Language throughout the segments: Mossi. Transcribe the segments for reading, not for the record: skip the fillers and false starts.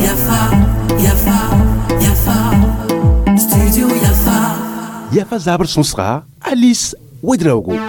Yafa, Yafa, Yafa, Studio Yafa. Yafa zabr sõsga Alice Ouedraogo.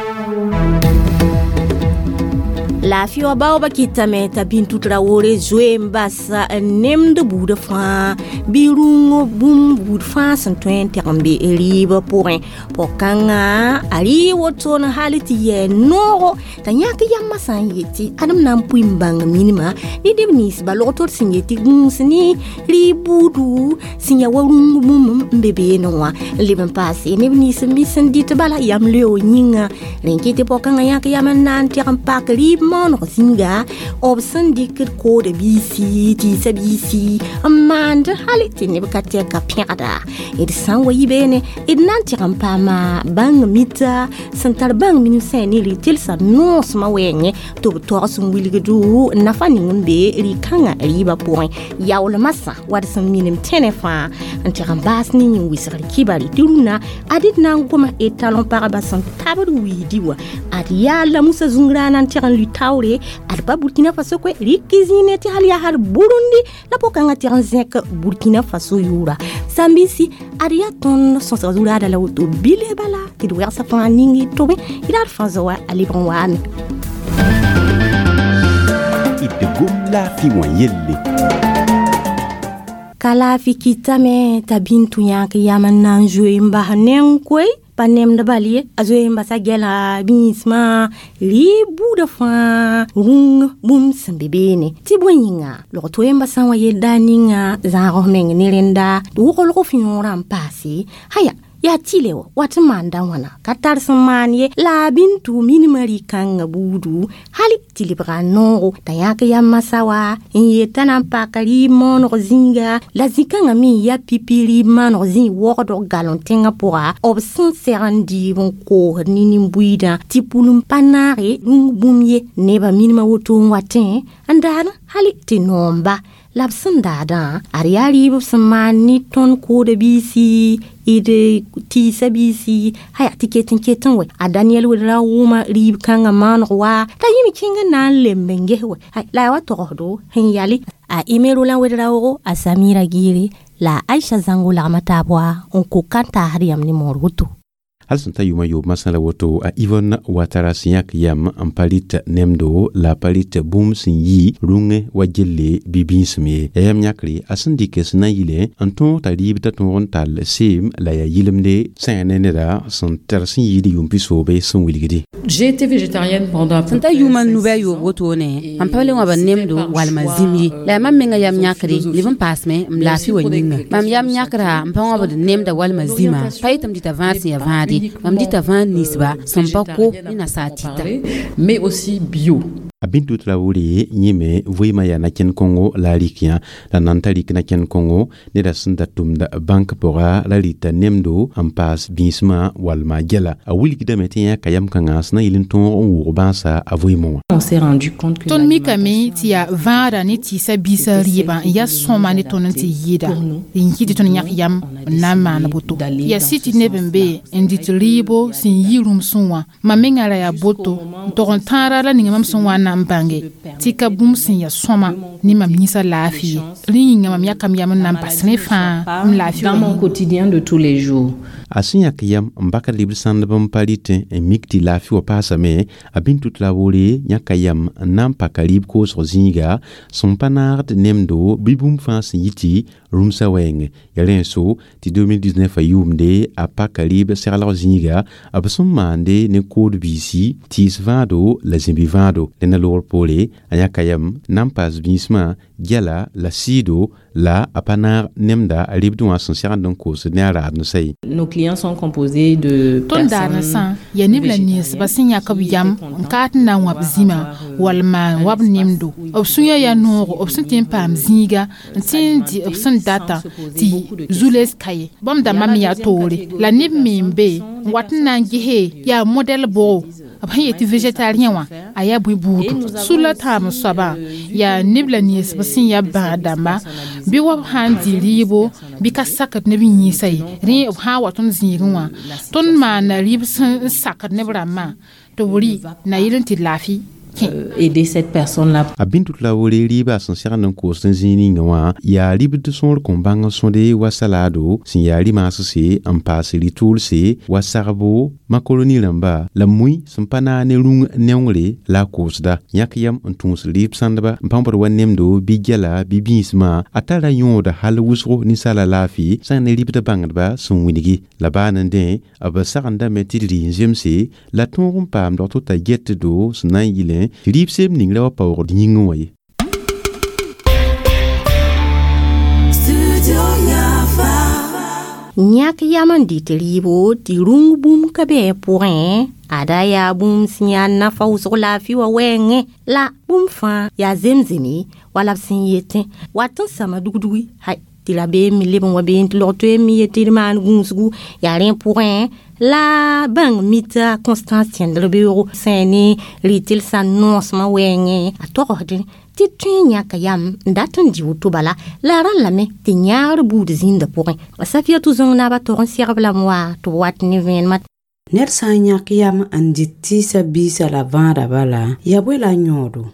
Laafɩ wã baooba kɩtame t'a Bintu Traoré zoe n bas nemd buudã fãa bɩ rũng bũmb buud fãa sẽn tõe n tɛg n be rɩɩbã pʋgẽ. Pʋg-kãngã a rɩ woto n hal tɩ yɛɛ noogo t'a yãk yambã sã n yetɩ adem na n pʋɩ n bãng minimã ne neb ninsba log-tor sẽn yetɩ gũus ne rɩɩb buudu sẽn ya wa rũng bũmb n be beene wã n leb n paase neb nins n sẽn dɩt bala yam leo yĩnga. Rẽn kɩ tɩ pʋg-kãngã yãk yam n na n tɛg n pak rɩɩb maooneg zĩnga b sẽn dɩkd kooda biisi tɩɩsa biisi n maand hal tɩ neb ka tɛka pẽgda. D sã n wa yi beene d na n tɩg n paama bãng mita sẽn tar bãng minim sã ne rɩ-telsã noosmã wɛɛngẽ tɩ b togs n wilgdo nafa ning n be rɩ-kãngã rɩɩbã pʋgẽ. Yaoolmã sã wa d sẽn minim tẽnẽ fãa n tɩg n baas ne yĩn-wɩsgr kibare tɩ rũnna ad d na n goma talon pagba sẽn tabd wiidi wã ad yaa la Musa zũngrãana n tɩg n lʋ taoore ad pa Burkina Faso koe rɩk zĩine tɩ hal yaa hal Burundi la pʋg-kãngã tɩg n zẽk Burkina Faso yʋʋra. Sãn-biisi ad yaa tõnd sõsg zuraada la woto bile bala tɩ d wɛgsa fãa ning d tʋbẽ d ad fãa zoa a lebg n waame. D gom laafɩ wã yelle. Ka laafɩ kɩtame t'a Bintu yãk yam n na n zoe n bas neng koe pa nemd bal ye a zoe n basa gɛla biismã rɩɩb buudã fãa rũng bũmb sẽn be beene tɩ bõe yĩnga log toe n basã wã yel-daar ninga zãag f meng ne rẽnda wʋglg f yõorã n paase haya yaa tɩle wa wat n maanda wãna ka tar sẽn maan ye la a Bintu minimã rɩ-kãngã buudu hal tɩ lebga noogo t'a yãk yam masã wa n yet t'a na n paka rɩɩb maoneg zĩiga la zĩ-kãngã me n ya pipi rɩɩb maaneg zĩig wogdg galõ tẽngã pʋga b sẽn seg n dɩɩb n koosd ne nin-buiidã tɩ pʋlem pa naage rũng bũmb ye nebã minimã woto n watẽ n daad hal tɩ noomba la b sẽn daadã ad yaa rɩɩb sẽn maan ne tõnd kooda biisi d tɩɩsa biisi haya tɩ ket n ket n wɛ a Daniel Wedra wʋma rɩɩb kãngã maaneg wa t'a yĩm kẽng n na n lemb n ges wɛ la yaa wa togsdo sẽn yale a Aimé Roland Ouédraogo a Samira Gire la Aisha Zango lagma taab wa n ko kan taasd yam ne moor woto. Hal sẽn ta yʋʋmã yoob masã la woto a Yvonne Ouattara sẽn yãk yam n pa rɩt nemdo la pa rɩt bũmb sẽn yi rũngẽ wa gelle bɩ bĩisem ye. Ya yam yãkre a sẽn dɩk sẽn na n yɩle n tõog t'a rɩɩb t'a tõog n tall seem la yaa yɩlemde sã yaa ne neda sẽn tar sẽn yɩɩd yʋʋm pisoobẽ sẽn wilgdi. J'ai été végétarienne pendant à peu Sẽn ta près yʋʋmã cinq, nubã six yoob ans. wotone mam pa le wã ba nemdo walma zĩm ye la yaa mam menga yam yãkre leb n paasme m laafɩ wã yĩnga. Mam yam yãkra n pa wãbd nemda walma zĩma pa yetɩ m dɩta vãad sẽn yaa vãade mam dɩta vãad ninsba sẽn pa ko ne nasaar tɩta. Mais aussi bio. A Bintu Traoré yĩme vɩɩmã yaa na-kẽnd kõngo la a rɩk yã la nan t'a rɩk na-kẽnd kõngo neda sẽn da tʋmd bãnk pʋga la rɩta nemdo n paas bĩismã walma gɛla a wilgdame tɩ yãka yam kãngã sẽn na yɩl n tõog n wʋʋg bãasa a vɩɩmẽ wã. On s'est rendu compte que Tõnd mikame tɩ yaa vãada ne tɩɩsa biisã rɩɩbã n yaa sõma ne tõnd n tɩ yɩɩda n yɩ tɩ tõnd yãk yam n na n maan boto. Yaa sɩ tɩ neb n be n dɩt rɩɩbo sẽn yi rũmsẽ wã mam mengã ra yaa boto n tog n tãara la ninga mam sẽn wa n na n bãnge tɩ ka bũmb sẽn yaa sõma ne mam yĩsã laafɩ ye. Rẽ yĩnga mam yakam yam n na n bas rẽ fãa m laafɩ dans wã mon yĩnga. quotidien de tous les jours. A sẽn yãk yam n bak rɩɩb sãndb n pa rɩtẽ n mik tɩ laafɩ wã paasame a Bintu Traoré yãka yam n na n paka rɩɩb koosg zĩiga sẽn pa naagd nemdo bɩ bũmb fãa sẽn yɩ tɩ rũmsã wɛɛngẽ. Ya rẽ n so tɩ 2019 a yʋʋmde a paka rɩɩb seglg zĩiga b sẽn maande ne kood biisi tɩɩs vãado la zĩbi vãado. Rẽnda loogr poore a yãka yam n na n paas bĩismã gɛla la sɩɩdo la a pa naag nemda a rɩɩbdẽ wã sẽn segend n koosd ne a raad n sa ye. Nos clients sont composés de Tõnd daarensã yaa neb la ninsba sẽn yãk b yam n kaat n na n wãb zĩma walma n wab nemdo. B sũyã yaa noogo b sẽn tɩ n paam zĩiga n tɩ n dɩ b sẽn datã tɩ zu-les ka ye. Bãmb dãmbã me yaa toore la neb me n be n wat n na n gese yaa modɛl bʋgo b sẽn yetɩ végétarien wã a yaa bõe buudu. Sula tãam soabã yaa neb la ninsb sẽn yaa bãad dãmba bɩ wa b sã n dɩ rɩɩbo bɩ ka sakd neb yĩnsa ye. Rẽ b sã n wa tõnd zĩigẽ wã tõnd maana rɩɩb sẽn sakd neb rãmbã tɩ b rɩ na yɩl n tɩ laafɩ. kẽ. Aider cette personne-là. A bĩn-tut la wore rɩɩbã sẽn segd n koosd n zĩig ninga wã yaa ribd sõor kõn bãng n sõde wa salado sẽn yaa rɩ-maasse n paas rɩ-tʋʋlse wa sagbo makaroni rãmba la mui sẽn pa naag ne rũng neongre la a koosda yãk yam n tũus rɩɩb sãndba n pãbd wa nemdo bɩ gɛla bɩ bĩismã a tara yõoda hal wʋsgo ninsaala laafɩ sã ne ribd bãngdba sẽn wilgi la baa n dẽ b sagendame tɩ d rɩ n zemse la tõog n paam dog t'a getdo sẽn na n yɩlẽ tɩ rɩɩb seem ning ra wa paoogd yĩngẽ wã ye. Studio Yafa. Yãk yam n dɩt rɩɩbo tɩ rũng bũmb ka bɩ pʋgẽ ada yaa bũmb sẽn yaa nafa wʋsg laafɩ wã wɛɛngẽ la bũmb fãa yaa zemzeme wala b sẽn yetẽ wat n sãma dugdugui hay tɩ rabeem me leb n wa beene tɩ log toeem me yetɩ d maan gũusgu yaa rẽ pʋgẽ la bãng mita Constance tẽndr beoogo sã ne rɩ-tɩlsã noosmã wɛɛngẽ a togsdẽ tɩ tõe n yãka yam n dat n dɩ woto bala la a rãn lame tɩ yãagr buud zĩndã pʋgẽ a Safiatou Zõng naabã tog n segb lame wa tɩ b wat ne vẽenemã. Ned sã n yãk yam n dɩt tɩɩsã biisã la vãada bala yaa bõe la yõodo?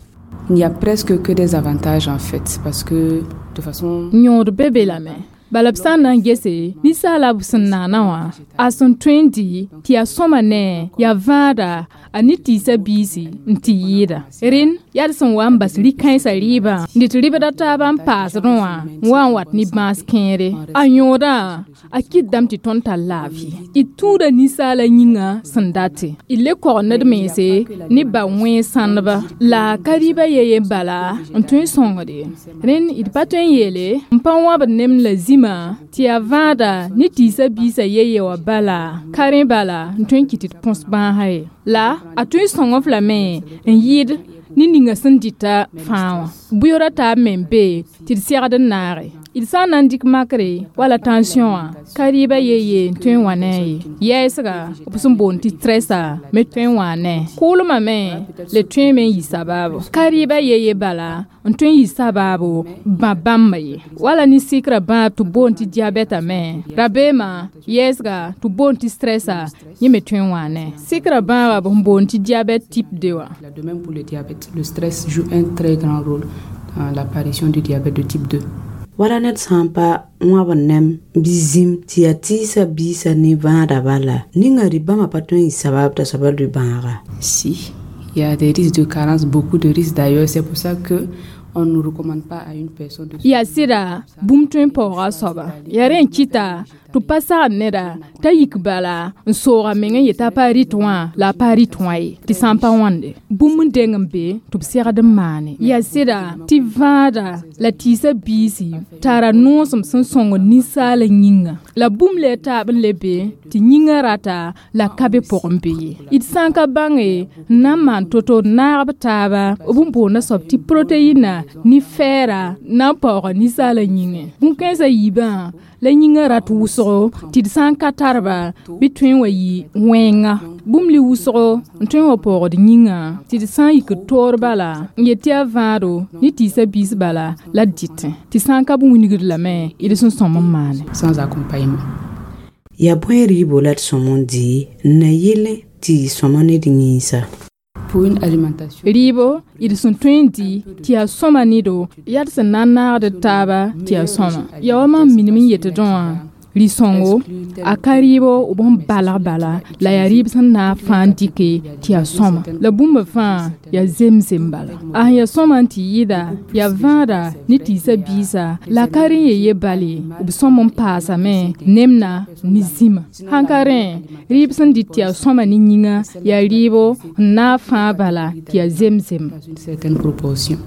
Il n'y a presque que des avantages en fait parce que de façon Yõod be be lame bala b sã n na n gese ninsaala b sẽn naana wã a sẽn tõe n dɩ tɩ yaa sõma ne yaa vãada a ne tɩɩsã biisi n tɩ yɩɩda rẽnd yaa d sẽn wa n bas rĩ-kãensã rɩɩbã n dɩt rɩbda taabã n paasdẽ wã n wa n wat ne bãas kẽere a yõodã a kɩtdame tɩ tõnd tar laafɩ d tũuda ninsaala yĩngã sẽn date d le kogd ned mense ne ba wẽen sãndba la ka rɩɩbã ye yen bala n tõe n sõngde rẽnd d pa tõe n yeele n pa wãbd nemd la zĩma tɩ yaa vãada ne tɩɩsã biisã ye ye wã bala ka rẽ bala n tõe n kɩt tɩ d põs bãasã ye la a tõe n sõng f lame n yɩɩd ne ninga sẽn dɩta fãa wã bʋyoora taab me n be tɩ d segd n naage d sã n na n dɩk makre wala tension wã ka rɩɩbã ye ye n tõe n wa ne a ye yɛɛsga b sẽn boond tɩ stressa me tõe n waa ne kʋʋlmã me le tõeme n yɩ sabaabo ka rɩɩbã ye ye bala n tõe n yɩ sabaabo bã bãmba ye wala ne sɩkrã bãab tɩ boond tɩ diabɛta me rabeemã yɛɛsga tɩ boond tɩ stressa yẽ me tõe n waa ne sɩkrã bãaba b sẽn boond tɩ diabɛte type 2 wã. De même pour le diabète, le stress joue un très grand rôle dans l'apparition du diabète de type 2. Wala ned sã n pa wãbd nem bɩ zĩm tɩ yaa tɩɩsã biisã ne vãada bala ninga rɩ-bãmba pa tõe n yɩ sabab t'a soaba rɩ-bãaga. Si, il y a des risques de carence, beaucoup de risques d'ailleurs. C'est pour ça que on ne recommande pas à une personne de Yaa sɩda bũmb tõe n paooga a soaba yaa rẽ n kɩta tɩ b pa sagd neda t'a yik bala n sooga meng n yetɩ a pa rɩt wã la a pa rɩt wã ye tɩ sã n pa wãnde bũmb n deng n be tɩ b segd n maane yaa sɩda tɩ vãada la tɩɩsã biisi tara noosem sẽn sõngd ninsaala yĩnga la bũmb le taab n le be tɩ yĩngã rata la ka be pʋgẽ be ye d sã n ka bãnge n na n maan to-to naag b taaba b n boonda soab tɩ proteina ne fɛɛra na n paooga ninsaala yĩngẽ bũn-kãensã yiibã la yĩngã rat wʋsgo tɩ d sã n ka tarba bɩ tõe n wa yɩ wẽnga bũmb li wʋsgo n tõe n wa paoogd yĩngã tɩ d sã n yik d toor bala n yet tɩ yaa vãado ne tɩɩsã biis bala la d dɩtẽ tɩ sã n ka b wilgd lame d sẽn sõm n maane. Sans accompagnement. Yaa bõe rɩɩbo la d sõm n dɩ n na yɩlẽ tɩ yɩ sõma ned yĩnsa? Pour une alimentation. Rɩɩbo d sẽn tõe n dɩ tɩ yaa sõma nedo yaa d sẽn na n naagd d taaba tɩ yaa sõma yaa wa mam minim n yetdẽ wã rɩ-sõngo a ka rɩɩbo b sẽn balg bala la yaa rɩɩb sẽn na n fãa n dɩke tɩ yaa sõma la bũmb fãa yaa zemzem bala a sẽn yaa sõma n tɩ yɩɩda yaa vãada ne tɩɩsã biisa la ka rẽ ye ye bale b sõm n paasame nemna ne zĩma sãn ka rẽ rɩɩb sẽn dɩt tɩ yaa sõma ne yĩngã yaa rɩɩbo n naag fãa bala tɩ yaa zemzem. Dans une certaine proportion.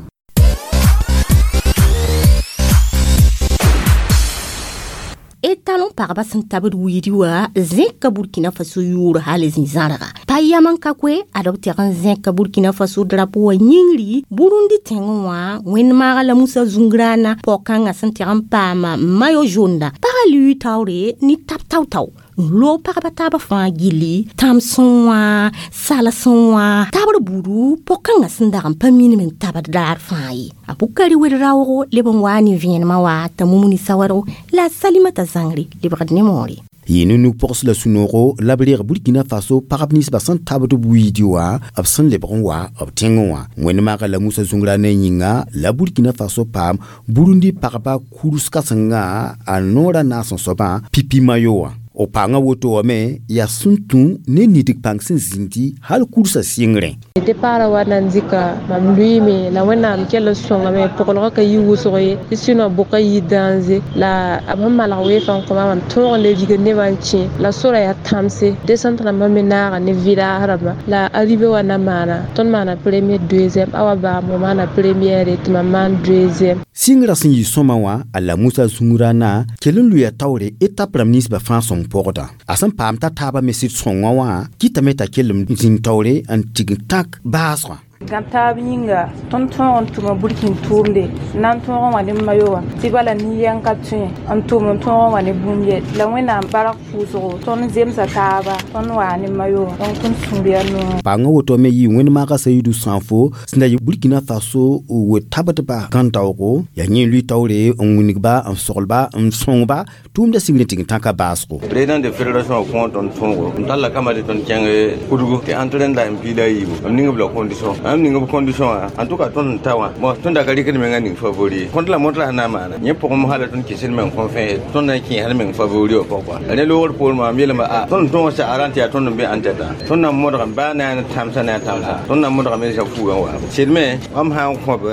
Etalon pagba sẽn tabd wiidi wã zẽka Burkina Faso yʋʋr hal zĩ-zãrga pa yam n ka koe ad b teg n zẽka Burkina Faso drapo wã yĩngri Burundi tẽngẽ wã wẽnd-maaga la Musa Zungrana pao-kãngã sẽn teg n paama mayo zonda pagã lui taoore ne tab tao-tao n loog pagba taabã fãa gilli tãmsẽ wã salsẽ wã tabr buudu pao-kãngã sẽn dag n pa minim n tabd daar fãa ye a Bukari wed raoogo leb n waa ne vẽenemã wa t'a Mumuni Sawadgo la a Salimata Zãngre lebgd ne moore. Yɩ ne nug-pʋgs la sũ-noogo la b reeg Burkina Faso pagb ninsbã sẽn tabd b wiidi wã b sẽn lebg n wa b tẽngẽ wã. Wẽnd maaga la Musa Zũngra ne yĩnga la Burkina Faso paam Burundi pagba kurs kãsengã a noorã naas n soabã Pipi Mayo wã. O paanga woto wã me yaa sẽn tũ ne nidg pãng sẽn zĩndi hal kursã sɩngrẽ. Départ wa nan dɩka mam lʋɩɩme la Wẽnnaam kell n sõngame pʋglgã ka yi wʋsg ye tɩ sɩnõ bʋka yi dãnze la b sẽn malg weefã n kõ mam tõog n le rigd nebã n kẽ la sorã yaa tãmse descente rãmbã me naaga ne village rãmbã la arrivée wa na maana tõnd maana premier deuxième awa baamo maana première tɩ mam maan deuxième. Sɩngrã sẽn yɩ sõma wã a la Musa Zũngrã kell n lʋɩa taoore étape rãmb ninsbã fãa sõng pɔgda. A sẽn paam t'a taabã me sɩd sõngã wã kɩtame t'a kell n zĩnd taoore n tig n tãk baasgã. Gãb taab yĩnga tõnd tõog n tʋma burkin tʋʋmde n na n tõog n wa ne mayo wã tɩ bala nin-yɛng ka tõe n tʋm n tõog n wa ne bũmb ye la Wẽnnaam bark pʋʋsgo tõnd zemsa taaba tõnd waa ne mayo wã donc tõnd sũur yaa noor. Paangã woto me yɩ wẽnd maaga Sayidu Sãnfo sẽn da yɩ Burkina Faso we-tabdba gãn-daoogo yaa yẽ lʋɩ taoore n wilgba n soglba n sõngba tʋʋmda sigr n tɩg n tãka baasgo. Président de fédération kõ tõnd tõogo n talla kama tɩ tõnd kẽng kudgu tɩ entraîne la n piila yiibu m ning b la condition am ning b condition wã en tout cas tõnd n ta wã bon tõnd da ka rɩkd menga ning favori kõnt la mõt la sẽn na n maana yẽ pʋgẽ hala tõnd kɩsd meng kõn fẽe tõnd na n kẽ hal meng favori wã pʋgẽ kɔa la ne loogr poorẽ wã m yeelame a tõnd tõog sagrã tɩ yaa tõnd n be en tête tõnd na n modgame baa na n tãmsã ne a tãmsã tõnd na n modgame zã fuugã wa sɩd me mam sã n kõ b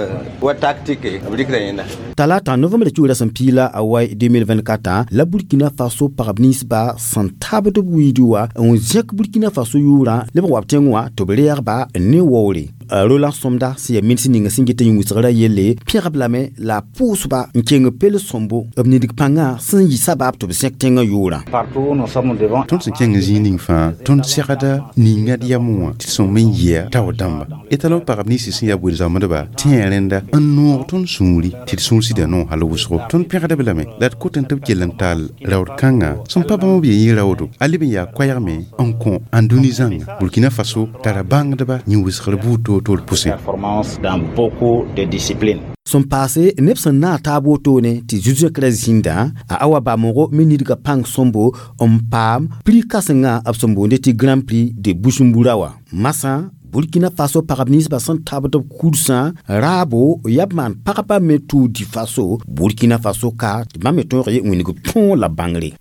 wa tactique b rɩkda yẽnda. Talata novembre kiugra sẽn piila a wai 2024 la Burkina Faso pagb ninsba sẽn tabd b wiidi wã n zẽk Burkina Faso yʋʋrã leb n wa b tẽng wã tɩ b reegba ne waoore. Roland Somda sẽn yaa minis ninga sẽn get n yĩn-wɩsgrã yelle pẽgb lame la a pʋʋsba n keng pel sõmbo b nidg pãngã sẽn yɩ sabaab tɩ b zẽk tẽngã yʋʋrã. Tõnd sẽn kẽng zĩig ning fãa tõnd segda ninga d yam wã tɩ sõm n yɩa tao dãmba etalon pagb ninsi sẽn yaa bʋɩd-zãmbdba tẽ yaa rẽnda n noog tõnd sũuri tɩ d sũur sɩda noog hal wʋsgo. Tõnd pẽgda b lame la d kot n tɩ b kell n taal raood kãnga sẽn pa bãmb b yen yɩ raoodo a leb n yaa koɛɛgme n kõ ãndũni zãnga. Burkina Faso tara bãngdba yĩn-wɩsgr buud toor-toor pʋsẽ. Sẽn paase neb sẽn naag taab wotone tɩ zu-zẽkrã zĩndã a awa bamoogo me nidga pãng sõmbo n paam prix kãsengã b sẽn boonde tɩ Grand Prix de Bujumbura wã. Masã Burkina Faso pagb ninsbã sẽn tabd b kursã raabo yaa b maan pagbã me Tour du Faso Burkina Faso ka tɩ bãmb me tõog ye wĩneg tõog la bãngre.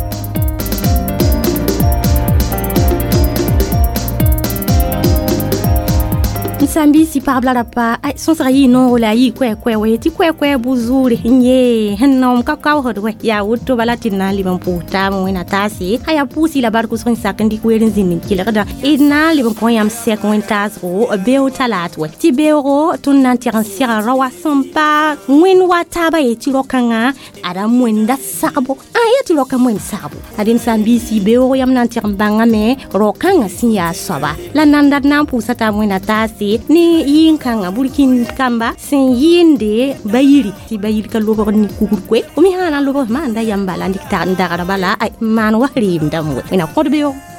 Sãn-biisi pagb la rapa sõsga yɩ noogo la a yɩ koɛ-koɛ wɛ tɩ koɛ-koɛ bu-zuure n yee sẽn naoom ka kaoosd wɛ yaa woto bala tɩ d na n leb n pʋʋs taab wẽna taase a yaa pʋʋsɩ la bark wʋsg n sak n dɩk weer n zĩnd n kelgda d na n leb n kõ yãmb sɛk wẽn-taasgo beoog talaat wɛ tɩ beoogo tõnd na n tɛg n sɛga raoã sẽn pa wẽnd wa taaba ye tɩ rao-kãngã ada moenda sagbo a ya tɩ rao-kã moend sagbo adem sãn-biisi beoogo yãmb na n tɛg n bãngame rao-kãngã sẽn yaa soaba la nanda d na n pʋʋsa taab wẽna taase ne yɩɩn-kãngã burkin kamba sẽn yɩɩnde bayiri tɩ bayiri ka lobg ne kugr koe fo me sã na n lobg maanda yam bala n dɩk n dagra bala maan wa reem dãmb wɛ wẽna kõd beoog.